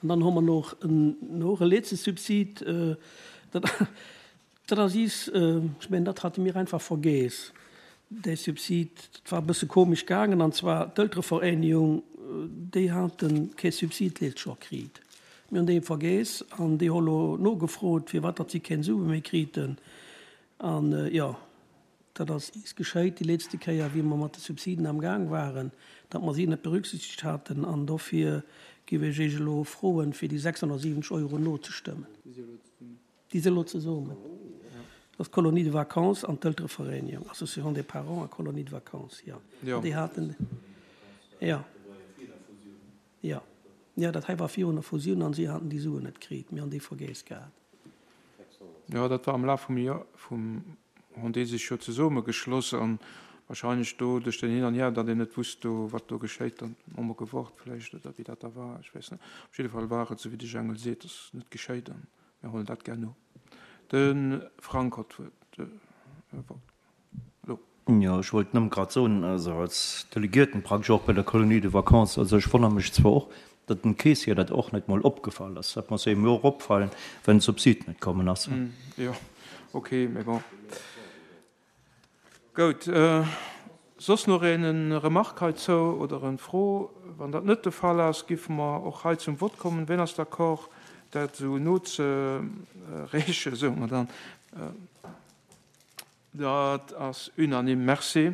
An dann hu mer nach en och e letzte Subsid, dat, dat ass is, ech mengen, dat hate mir einfach vergeess, dee Subsid. Dat war e bësse komesch gaangen, an zwar d'Elterevereenigung, déi hate kee Subsid d'lescht Joer kritt. Mir hunn dee vergeess an déi hu lo nogefrot, firwat datt si keng Sue méi kriten. An, jo, Dat ass is geschéit déi letzte Kéier, wéi mer mat de Subsiden am Gaang waren, datt mer si net berücksichtegt haten. An dofir géif ech Iech elo froen, fir déi 670 Euro nozestëmmen. Déi si elo zesummen. Dat ass d'Colonie de vacances an d'Elterevereenigung, Association des parents a Colonie de vacances, jo. Déi haten, jo. Jo. Jo, dat hei war virun der Fusioun an si haten déi Suen net kritt. Mir hunn déi vergeess gehat. Jo, dat war am Laf vum Joer, vum, hunn déi sech jo zesumme geschloss an wahrscheinlech do duerch den Hin an Hier, datt een net wusst do, wat do geschéit, dann hu mer gewort vläicht oder wéi dat da war, ech weess net. Op jidde Fall war et, esou wéi de Jengel seet, ass net geschéit an mir huelen dat gär no. De Frank huet d'Wuert. Elo. Jo, ech wollt nëmme grad soen, also als Delegierten praktesch och bei der Colonie de vacances, also ech wonnere mech zwar och, datt dem Keessier dat och net mol opgefall ass. Dat muss engem jo och opfallen, wenn de Subsid net kommen ass. Jo, ok, mee bon. Goud. Soss nach een en Remarque heizou oder en Fro? Wann dat net de Fall ass, giffe mer och hei zum Vott kommen. Ween ass d'accord, dat esou nozereechen, soe mer dann? Dat ass unanime. Merci.